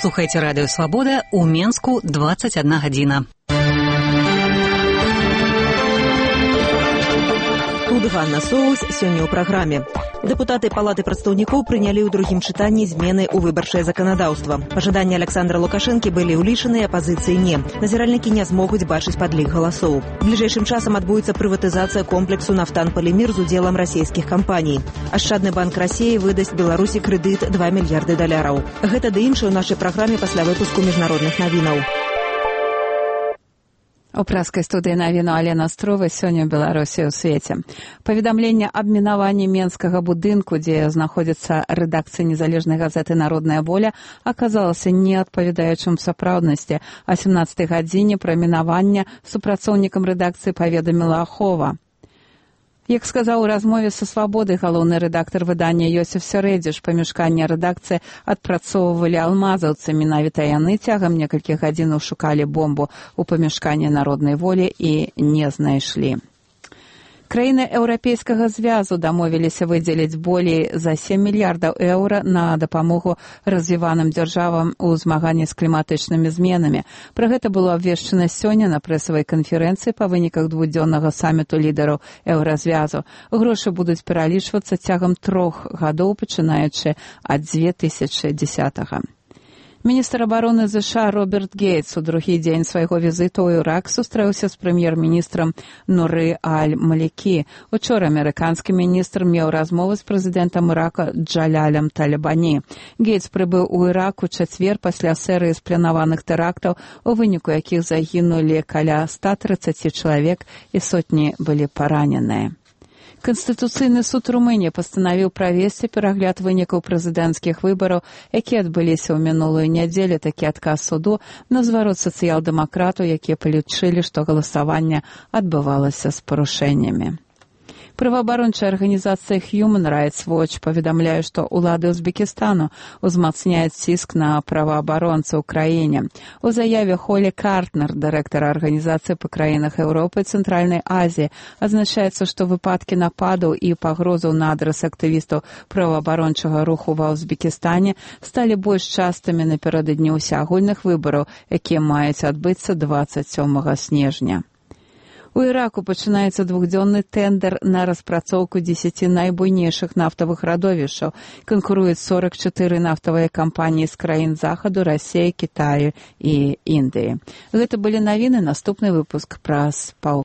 слухаеце радыё Свабода, у Менску 21 гадзіна. Тут Ганна Соус сёння ў праграме. Дэпутаты Палаты прадстаўнікоў прынялі ў другім чытанні змены ў выбарчае заканадаўства. Пажаданні Александра Лукашэнкі былі ўлічаны, апазіцыі не. Назіральнікі не змогуць бачыць падлік галасоў. Бліжэйшым часам адбудзецца прыватызацыя комплексу «Нафтан-Полимир» з удзелам расійскіх кампаній. Ашчадны банк Расіі выдасць Беларусі крэдыт $2 мільярды. Гэта ды іншае ў нашай праграме пасля выпуску міжнародных навінаў. У праскай студыі навіну Алена Астрова сёння ў Беларусі ў свеце. Паведамленне аб мінаванні менскага будынку, дзе знаходзіцца рэдакцыя незалежнай газеты «Народная воля», аказалася неадпавядаючым сапраўднасці. О 17 гадзіне пра мінаванне супрацоўнікам рэдакцыі паведаміла Ахова. Як сказаў у размове са «Свабодай» галоўны рэдактар выдання Йосиф Середзіш, памяшканне рэдакцыі адпрацоўвалі алмазаўцы. Менавіта яны цягам некалькіх гадзінаў шукалі бомбу ў памяшканні «Народнай волі» і не знайшлі. Краіны Еўрапейскага звязу дамовіліся выдзеліць болей за 7 мільярдаў еўра на дапамогу развіваным дзяржавам у змаганні з кліматычнымі зменамі. Пра гэта было абвешчана сёння на прэсавай канферэнцыі па выніках двухдзённага саміту лідараў Еўразвязу. Грошы будуць пералічвацца цягам 3 гадоў, пачынаючы ад 2010-го. Міністр абароны США Роберт Гейтс у другі дзень свайго візіту ў Ірак сустрэўся з прэм'ер-міністрам Нуры Аль-Малікі. Учора амерыканскі міністр меў размову з прэзідэнтам Ірака Джалялем Талібані. Гейтс прыбыў у Ірак у чацвер пасля серыі спланаваных тэрактаў, у выніку якіх загінулі каля 130 чалавек і сотні былі параненыя. Канстытуцыйны суд Румыніі пастанавіў правесці перагляд вынікаў прэзідэнцкіх выбараў, якія адбыліся ў мінулую нядзелю. Такі адказ суду на зварот сацыял-дэмакратаў, якія палічылі, што галасаванне адбывалася з парушэннямі. Праваабарончая арганізацыя Human Rights Watch паведамляе, што ўлады Узбекістану узмацняюць ціск на праваабаронцаў у краіне. У заяве Холі Картнер, дырэктара арганізацыі па краінах Еўропы і Цэнтральнай Азіі, азначаецца, што выпадкі нападаў і пагрозаў на адрас актывістаў праваабарончага руху ва Узбекістане сталі больш частымі напярэдадні ўсеагульных выбараў, якія маюць адбыцца 27 снежня. У Іраку пачынаецца двухдзённы тэндэр на распрацоўку 10 найбуйнейшых нафтавых радовішчаў. Канкуруюць 44 нафтавыя кампаніі з краін Захаду, Расіі, Кітаю і Індыі. Гэта былі навіны, наступны выпуск праз